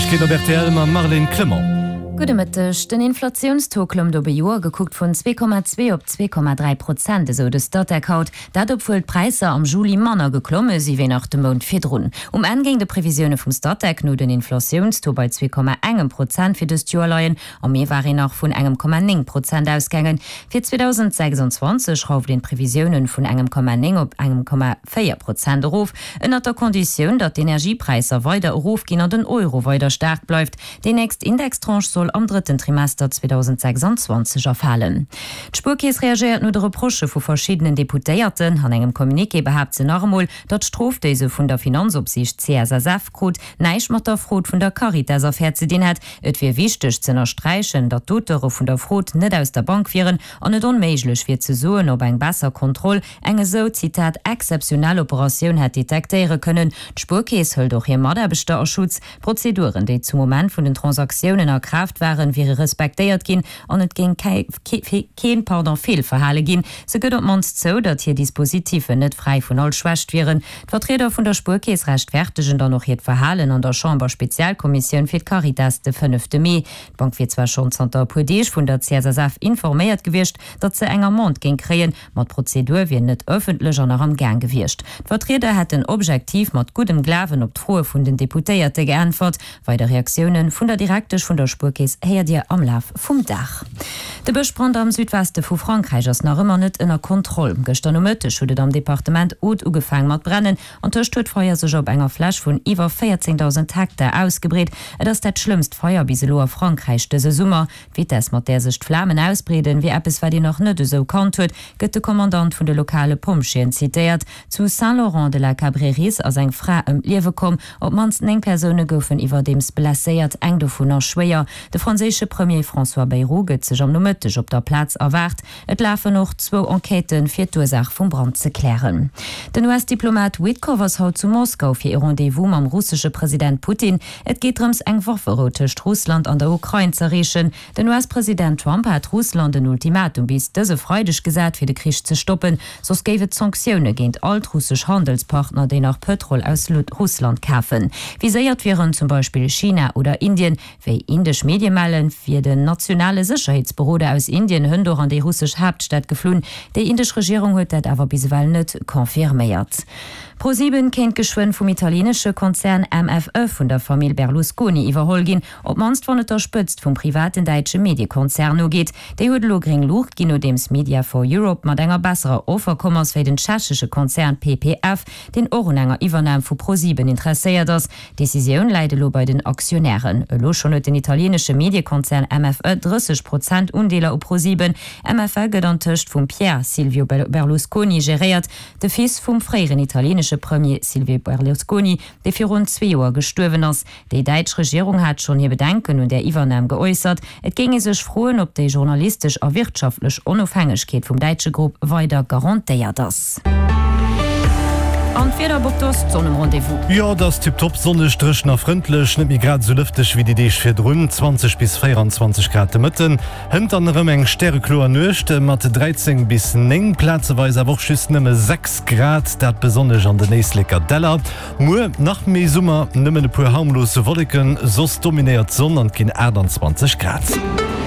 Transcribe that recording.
Neiegkeeten op rtl mam Marlène Clement. Gudde Mëtteg. Den Inflatiounstaux klëmmt op e Joer gekuckt vun 2,2 op 2,3 Prozent, esou de Statec haut. Dat obwuel d'Präisser am Juli manner geklomme si wéi nach de Mount virdrun. Um Enn géing de Previsioune vum Statec no den Inflatiounstaux bei 2,1 Prozent fir dëst Joer leien. Am Mee war een nach vun engem Komma 9 Prozent ausgaangen. Fir 2026 schrauft een d'Previsiounen vun engem Komma 9 op engem Komma 4 Prozent erof, ënnert der Konditioun, datt d'Energiepräisser weider erofginn an den Euro weider staark bleift. Déi nächst Indextranche soll am drëtten Trimester 2026 erfalen. D'Spuerkeess reagéiert no de Reprochë vu verschiddenen Deputéierten. An engem Communiqué behaapt se nach emol, datt d'Strof, déi se vun der Finanzopsiicht CSSF krut, näischt mat der Frod vun der Caritas-Affär ze dinn hätt. Et wier wichteg z'ënnersträichen, datt d'Auteure vun der Frod net aus der Bank wieren an et onméiglech wier ze soen, ob eng besser Kontroll eng esou, Zitat, exzeptionell Operatioun hätt detektéiere kënnen. D'Spuerkeess hëlt och hir Mataarbechter a Schutz. D'Prozeduren, déi zum Moment vun den Transaktiounen a Kraaft waren, wiere respektéiert ginn an et géing keen Feelverhale ginn. Se gëtt op d'mannst zou, datt hir Dispositiffen net fräi vun all Schwächt wieren. D'Vertrieder vun der Spuerkeess rechtfertegen dann och hiert Verhalen an der Chamber-Spezialkommissioun fir d'Caritas de fënnefte Mee. D'Bank wier zwar schonn zanter e puer Deeg vun der CSSF informéiert gewiescht, datt se eng Amende géing kréien, ma d'Prozedur wier net ëffentlech an nach am Gaang gewiescht. D'Vertrieder hätten objektiv mat guddem Glawen op d'Froe vun den Deputéierte geäntwert. Weider Reaktioune vun der Direktesch vun der Spuerkeess héiert Dir am Laf vum Dag. De Bëschbrand am Südweste vu Frankräich ass nach ëmmer net ënner Kontroll. Gëschter Nomëtteg huet et am Departement Aude ugefaang mat brennen. Antëscht huet d'Feier sech op enger Fläch vun iwwer 14.000 Hektar ausgebreet. Et ass dat schlëmmst Feier bis elo a Frankräich dëse Summer. D'Vitess, mat där sech d'Flamen ausbreeden, wier eppes, wat een nach net esou kannt huet, gëtt de Kommandant vun de lokale Pompjeeën zitéiert. Zu Saint-Laurent-de-la-Cabrerisse ass eng Fra ëm d'Liewe komm. Op d'mannst 9 Persoune goufen iwwerdeems blesséiert, eng dovunner schwéier. De franséische Premier François Bayrou gëtt sech am Nomëtteg op der Plaz erwaart. Et lafen och zwou Enquêten, fir d'Ursaach vum Brand ze klären. Den US-Diplomat Witkoff ass haut zu Moskau fir ee Rendez-vous mam russesche President Putin. Et geet drëms, eng Wafferou tëscht Russland an der Ukrain z'erreechen. Den US-President Trump hat Russland en Ultimatum bis dëse Freideg gesat, fir de Krich ze stoppen, soss géif et Sanktioune géint all d'russesch Handelspartner, déi nach Pëtrol aus Russland kafen. Viséiert wieren zum Beispill China oder Indien. Wéi indesch Medie mellen, wier den nationale Sécherheetsberoder aus Indien hënt och an déi russesch Haaptstad geflunn. Déi indesch Regierung huet dat awer bis ewell net confirméiert. ProSieben kéint geschwënn vum italienesche Konzern MFE vun der Famill Berlusconi iwwerholl ginn. Op d'mannst wann et der Spëtzt vum privaten däitsche Mediekonzern nogeet. Déi huet elo gréng Luucht ginn, nodeems Media for Europe mat enger besserer Offer komm ass wéi den tschechesche Konzern PPF, deen och un enger Iwwernam vu ProSieben interesséiert ass. D'Decisioun läit elo bei den Aktionären. Elo schonn huet den italienesche Mediekonzern MFE 30 Prozent Undeeler u ProSieben. MFE gëtt antëscht vum Pier Silvio Berlusconi geréiert, de Fils vum fréieren italienesche Premier Silvio Berlusconi, dee virun zwee Joer gestuerwen ass. Déi däitsch Regierung hat schonn hir Bedenken un där Iwwernam geäussert. Et géing ee sech froen, ob déi journalistesch a wirtschaftlech Onofhängegkeet vum däitsche Grupp weider garantéiert ass. An d'Wieder, Bob, do ass d'Sonn um Rendez-vous. Jo, et ass tiptop, sonneg, dréchen a frëndlech, net méi grad esou lëfteg wéi déi Deeg virdrun, 20 bis 24 Grad de Mëtten. Hënt dann erëm eng stärekloer Nuecht mat 13 bis 9, plazeweis awer och just nëmme 6 Grad, dat besonnesch an den Éisleker Däller. Muer nach méi Summer, nëmmen e puer harmlos Wolleken, soss dominéiert d'Sonn an et ginn 28 Grad.